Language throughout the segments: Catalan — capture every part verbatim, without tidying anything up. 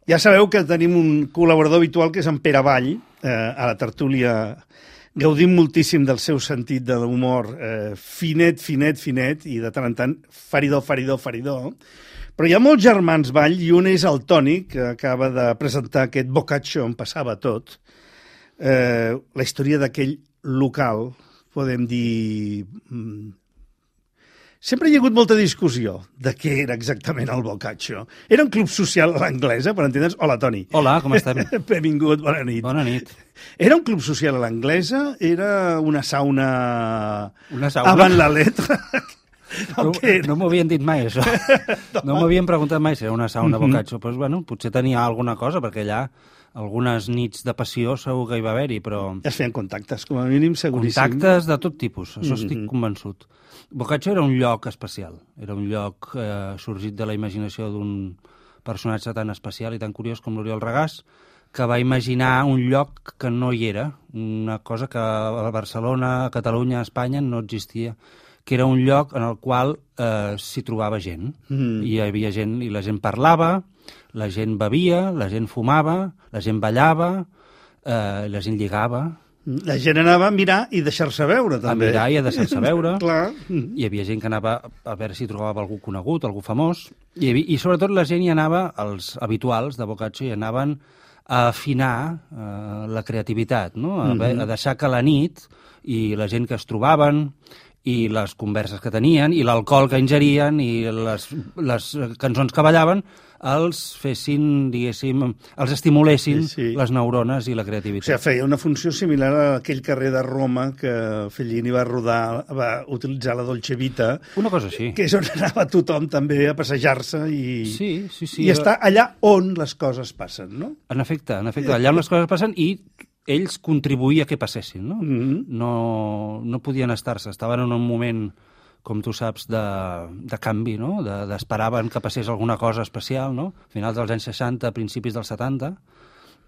Ja sabeu que tenim un col·laborador habitual que és en Pere Vall, eh, a la tertúlia. Gaudim moltíssim del seu sentit de l'humor eh, finet, finet, finet, i de tant en tant faridor, faridor, faridor. Però hi ha molts germans Vall, i un és el Toni, que acaba de presentar aquest Boccaccio on passava tot. Eh, la història d'aquell local, podem dir... Sempre hi ha hagut molta discussió de què era exactament el Boccaccio. Era un club social a l'anglesa, per entendre's. Hola, Toni. Hola, com estem? Benvingut, bona nit. Bona nit. Era un club social a l'anglesa? Era una sauna... Una sauna? Avant la letra? No, no m'ho havien dit mai, això. No m'havien preguntat mai si era una sauna Boccaccio. Pues, bueno, potser tenia alguna cosa, perquè allà algunes nits de passió segur que hi va haver-hi, però... Es feien contactes, com a mínim, seguríssim. Contactes de tot tipus, això mm-hmm. estic convençut. Boccaccio era un lloc especial, era un lloc eh, sorgit de la imaginació d'un personatge tan especial i tan curiós com l'Oriol Regàs, que va imaginar un lloc que no hi era, una cosa que a Barcelona, a Catalunya, a Espanya no existia, que era un lloc en el qual eh, s'hi trobava gent. Mm. Hi havia gent, i la gent parlava, la gent bevia, la gent fumava, la gent ballava, eh, la gent lligava. La gent anava a mirar i deixar-se veure, també. A mirar i a deixar-se veure. Clar. Hi havia gent que anava a veure si trobava algú conegut, algú famós, i, havia, i sobretot la gent hi anava, els habituals de Boccaccio, hi anaven a afinar eh, la creativitat, no? A, mm-hmm. a deixar que la nit i la gent que es trobaven i les converses que tenien, i l'alcohol que ingerien, i les, les cançons que ballaven, els fessin, diguéssim, els estimulessin sí, sí. les neurones i la creativitat. O sigui, feia una funció similar a aquell carrer de Roma que Fellini va rodar, va utilitzar la Dolce Vita. Una cosa així. Que és on anava tothom també a passejar-se i, sí, sí, sí, i està allà on les coses passen, no? En efecte, en efecte, allà on les coses passen, i ells contribuïen que passessin, no? Mm-hmm. No, no podien estar-se, estaven en un moment, com tu saps, de, de canvi, no? De, d'esperaven que passés alguna cosa especial, no? A finals dels anys seixanta, principis dels setanta,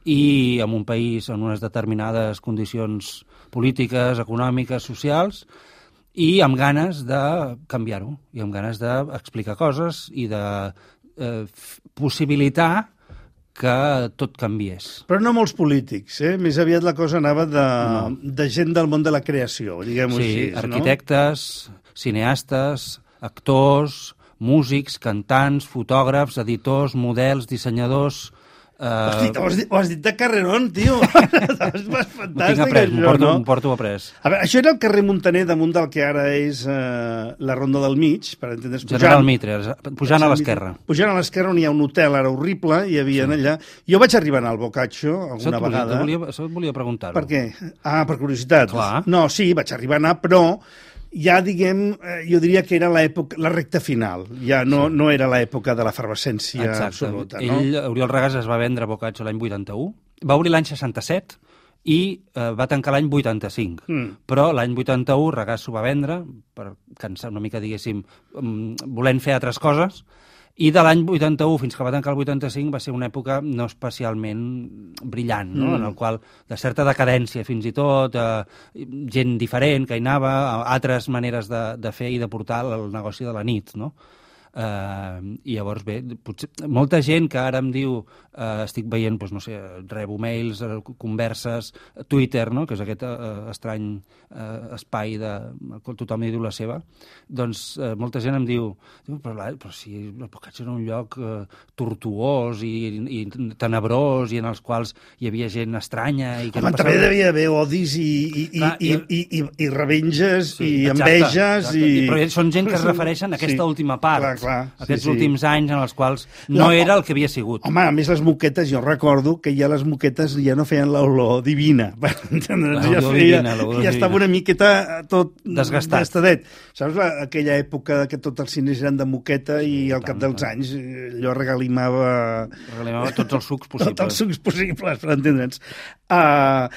i en un país en unes determinades condicions polítiques, econòmiques, socials, i amb ganes de canviar-ho, i amb ganes d'explicar coses i de eh, possibilitar que tot canviés. Però no molts polítics, eh? Més aviat la cosa anava de, no. de gent del món de la creació, diguem-ho sí, així. Arquitectes, no? Cineastes, actors, músics, cantants, fotògrafs, editors, models, dissenyadors... Uh... Hosti, ho has, dit, ho has dit de carrerón, tio. És fantàstic, m'ho tinc après, això, m'ho porto, no? M'ho porto après. A veure, això era el carrer Muntaner, damunt del que ara és uh, la Ronda del Mig, per entendre's, pujant... General Mitre, pujant a l'esquerra. Pujant a l'esquerra, on hi ha un hotel ara horrible, hi havia sí. allà... Jo vaig arribar a anar al Boccaccio alguna això vegada. Volia, això et volia preguntar-ho. Per què? Ah, per curiositat. Clar. No, sí, vaig arribar a anar, però... ja, diguem, jo diria que era l'època, la recta final. Ja no, sí. no era l'època de l'efervescència absoluta. No? Ell, Oriol Regàs, es va vendre a Boccaccio l'any vuitanta-u, va obrir l'any seixanta-set i eh, va tancar l'any vuitanta-cinc. Mm. Però l'any vuitanta-u Regàs s'ho va vendre, per cansar una mica, diguéssim, volent fer altres coses, i de l'any vuitanta-u fins que va tancar el vuitanta-cinc va ser una època no especialment brillant, no? Mm. En el qual de certa decadència fins i tot, eh, gent diferent que hi anava, altres maneres de, de fer i de portar el negoci de la nit, no? Uh, i llavors bé, potser, molta gent que ara em diu uh, estic veient, doncs, no sé, rebo mails, uh, converses, Twitter, no? Que és aquest uh, estrany uh, espai de tothom hi diu la seva, doncs uh, molta gent em diu, però, però si el Boccaccio era un lloc uh, tortuós i, i tenebrós i en els quals hi havia gent estranya i que Home, no passava... també devia haver odis i, i, Clar, i, i, i, i, i revenges sí, i exacte, enveges exacte. I... Però són gent que es refereixen a aquesta sí. última part. Clar, clar, aquests sí, sí. últims anys en els quals no, no era el que havia sigut. Home, a més les moquetes, jo recordo que ja les moquetes ja no feien l'olor divina. L'olor ja, feia, divina, ja estava una miqueta tot desgastat. Gastadet. Saps la, aquella època que tots els cines eren de moqueta i al cap dels anys allò regalimava... Regalimava tots els sucs possibles. Tots els sucs possibles, per entendre'ns. Uh,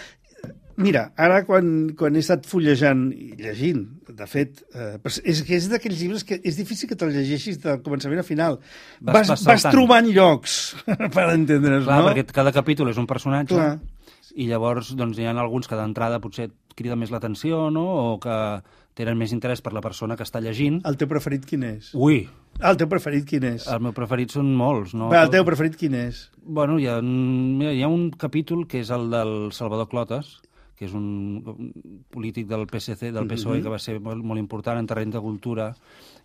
Mira, ara quan, quan he estat fullejant i llegint, de fet, eh, és que és d'aquells llibres que és difícil que te'ls llegeixis del començament a final. Vas, vas, vas trobant llocs, per entendre's, Clar, no? perquè cada capítol és un personatge, Clar. I llavors doncs, hi ha alguns que d'entrada potser crida més l'atenció, no? O que tenen més interès per la persona que està llegint. El teu preferit quin és? Ui! El teu preferit quin és? El meu preferit són molts, no? Va, el teu preferit quin és? Bueno, hi ha, mira, hi ha un capítol que és el del Salvador Clotas, que és un polític del P S C, del P S O E, que va ser molt, molt important en terreny de cultura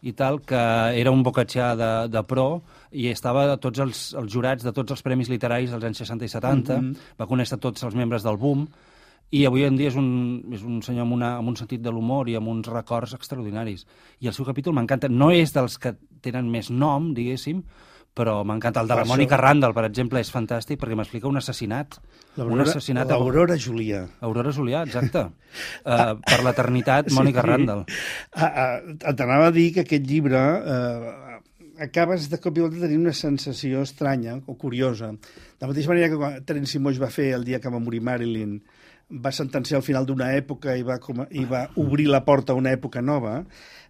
i tal, que era un bocatxà de, de pro i estava a tots els, els jurats de tots els premis literaris dels anys seixanta i setanta, mm-hmm. va conèixer tots els membres del Boom, i avui en dia és un, és un senyor amb, una, amb un sentit de l'humor i amb uns records extraordinaris. I el seu capítol m'encanta. No és dels que tenen més nom, diguéssim, però m'encanta. El de la això... Mònica Randall, per exemple, és fantàstic perquè m'explica un assassinat. Un assassinat L'Aurora a... Julià. Aurora Julià, exacte. uh, per l'eternitat, Mònica sí. Randall. Ah, ah, T'anava a dir que aquest llibre... Eh, acabes de cop i volta tenir una sensació estranya o curiosa. De la mateixa manera que quan Terence Moix va fer el dia que va morir Marilyn, va sentenciar al final d'una època i va, com, i va obrir la porta a una època nova,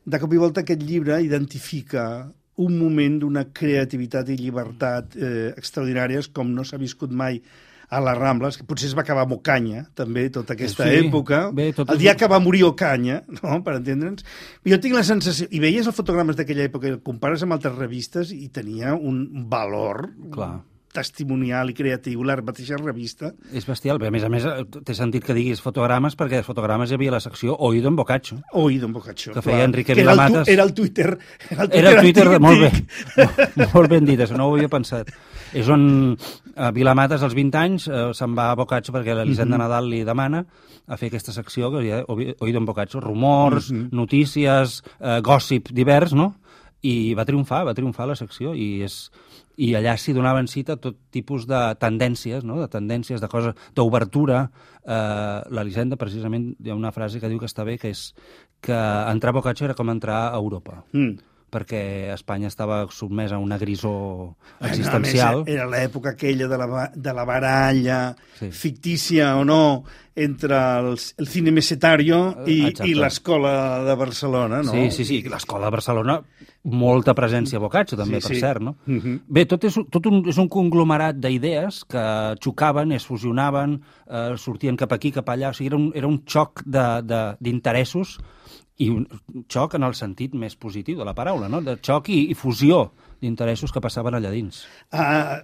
de cop i volta aquest llibre identifica un moment d'una creativitat i llibertat eh, extraordinàries com no s'ha viscut mai a les Rambles, que potser es va acabar amb Ocaña, també, tota aquesta sí, època. Bé, tot el dia és... que va morir Ocaña, no?, per entendre'ns. Jo tinc la sensació... I veies els fotogrames d'aquella època, i el compares amb altres revistes, i tenia un valor... Clar. Testimonial i creatiu, la mateixa revista. És bestial, a més a més té sentit que diguis fotogrames, perquè als fotogrames hi havia la secció Oído en Boccaccio. Oído en Boccaccio, que feia Enrique Vilamatas. Era el Twitter. Era el Twitter, era el Twitter de, molt bé, molt, molt ben dit, això no ho havia pensat. És on uh, Vilamatas, als vint anys, uh, se'n va a Boccaccio perquè l'Elisenda mm-hmm. Nadal li demana a fer aquesta secció, que hi ha Oído en Boccaccio, rumors, mm-hmm. notícies, uh, gossip divers, no? I va triomfar, va triomfar la secció, i és... i allà s'hi donaven cita tot tipus de tendències, no? De tendències, de coses, d'obertura. Eh, L'Elisenda, precisament, hi ha una frase que diu que està bé, que és que entrar a Boccaccio era com entrar a Europa. Mm. perquè Espanya estava sotmesa a una grisó existencial. Era l'època aquella de la, de la baralla sí. fictícia o no entre el, el cine mesetario i, i l'escola de Barcelona, no? Sí, sí, sí, l'escola de Barcelona, molta presència a Boccaccio, també, sí, per sí. cert, no? Uh-huh. Bé, tot, és, tot un, és un conglomerat d'idees que xocaven, es fusionaven, eh, sortien cap aquí, cap allà, o sigui, era un, era un xoc d'interessos i un xoc en el sentit més positiu de la paraula, no? De xoc i, i fusió d'interessos que passaven allà dins. Uh,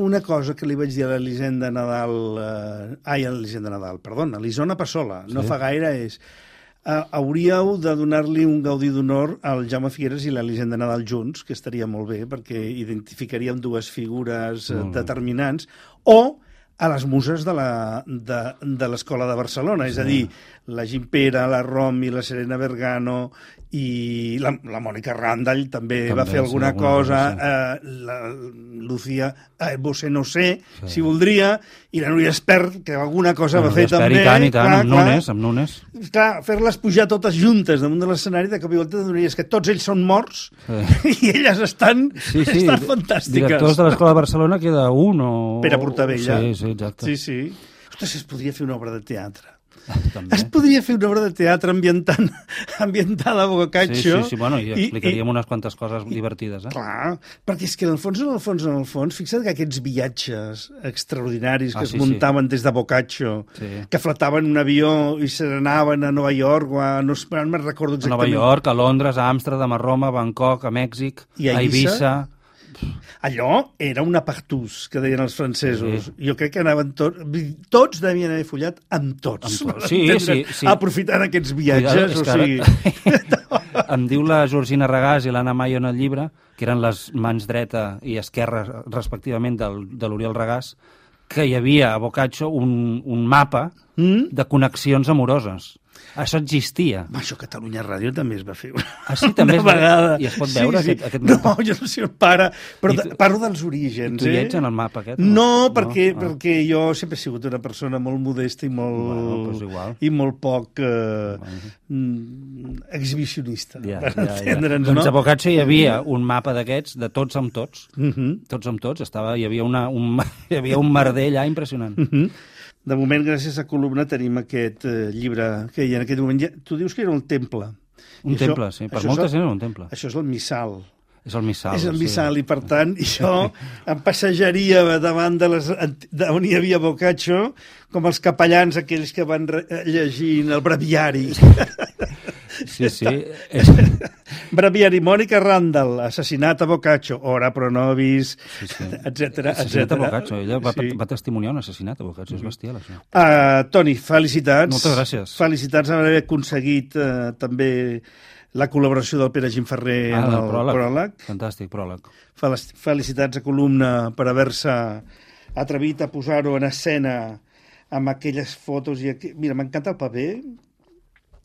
una cosa que li vaig dir a l'Elisenda Nadal... Uh, ai, a l'Elisenda Nadal, perdona, a l'Isona Passola, sí. no fa gaire, és... Uh, hauríeu de donar-li un gaudí d'honor al Jaume Figueres i l'Elisenda Nadal junts, que estaria molt bé, perquè identificaríem dues figures uh, determinants, o a les muses de l'Escola de, de Barcelona, sí. és a dir, la Gimpera, la Romy, la Serena Bergano i la, la Mònica Randall també, també va fer alguna, alguna cosa, cosa sí. eh, la Lucía eh, Bosé no sé, sí. si voldria, i la Núria Espert, que alguna cosa bueno, va fer també. I tant, i tant, clar, amb Nunes, amb Nunes. Clar, fer-les pujar totes juntes damunt de l'escenari, de cop i volta te donaries que tots ells són morts sí. i elles estan, sí, sí. estan fantàstiques. Directors de l'Escola de Barcelona queda un o... Pere Portabella. Sí, sí, exacte. Sí, sí. Ostres, es podria fer una obra de teatre. També. Es podria fer una obra de teatre ambientant, ambientada a Boccaccio. Sí, sí, sí, bueno, i explicaríem i, unes quantes coses i, divertides. Eh? Clar, perquè és que en el fons, en el fons, en el fons, fixa't que aquests viatges extraordinaris que ah, sí, es muntaven sí. des de Boccaccio, sí. que fletaven un avió i se n'anaven a Nova York, o a, no, no me'n recordo exactament. A Nova York, a Londres, a Amsterdam, a Roma, a Bangkok, a Mèxic, a Eivissa... A Eivissa. Allò era una partús, que deien els francesos. Sí. Jo crec que anaven tots... Tots devien haver follat amb tots. Amb tots. Sí, sí, sí. Aprofitant aquests viatges. O sigui... ara... em diu la Georgina Regàs i l'Anna Mayo en el llibre, que eren les mans dreta i esquerra, respectivament, del, de l'Oriol Regàs, que hi havia a Boccaccio un, un mapa mm? de connexions amoroses. Això existia. Això a Catalunya Ràdio també es va fer una, ah, sí, també una vegada. I es pot veure sí, sí. aquest, aquest mapa? No, jo no sé on para, però tu, parlo dels orígens. Tu hi ets en el mapa aquest? No, no perquè, no? perquè jo sempre he sigut una persona molt modesta i molt, bueno, pues igual. i molt poc eh, bueno. exhibicionista. Ja, per ja, entendre'ns, ja. Doncs no? A Boccaccio hi havia un mapa d'aquests, de tots amb tots, uh -huh. tots amb tots, estava, hi havia, una, un, hi havia un merder allà impressionant. Uh -huh. De moment, gràcies a Columna, tenim aquest eh, llibre que hi ha en aquest moment. Ja, tu dius que era un temple. Un I temple, això, sí. Per molta gent era un temple. Això és el missal. És el missal. És el missal, sí. I per tant, jo em passejaria davant de les, de on hi havia Boccaccio com els capellans aquells que van llegint el breviari. Sí, sí. És... Breviari, Mònica Randall, assassinat a Boccaccio, ora pro nobis, sí, sí. etcètera, Assassinat etcètera. a Boccaccio, ella va, Sí. va testimoniar un assassinat a Boccaccio, és bestial, això. Uh, Toni, felicitats. Moltes gràcies. Felicitats per haver aconseguit uh, també la col·laboració del Pere Gimferrer Ah, en el el pròleg. pròleg. Fantàstic, pròleg. Fel- Felicitats a Columna per haver-se atrevit a posar-ho en escena amb aquelles fotos. I aqu... Mira, m'encanta el paper.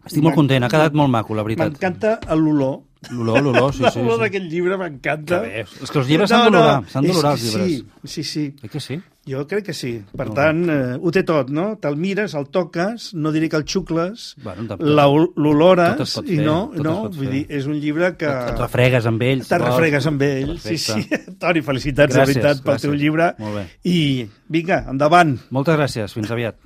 Estic molt content, ha quedat molt maco, la veritat. M'encanta l'olor. L'olor, l'olor, sí, sí. L'olor sí. d'aquest llibre m'encanta. Que bé. És que els llibres s'han d'olorar, s'han d'olorar els és que llibres. Sí, sí, sí. Eh que sí? Jo crec que sí. Per Molt tant, eh, ho té tot, no? Te'l mires, el toques, no diré que el xucles, Bueno, tot- la- l'olores, tot es pot i fer, no, tot es no, pot vull fer. dir, és un llibre que... Et, et refregues amb ell. Te'n refregues amb ell. Sí, Perfecte. sí. Toni, felicitats, Gràcies, de veritat, pel gràcies. teu llibre. Molt bé. I vinga, endavant. Moltes gràcies, fins aviat.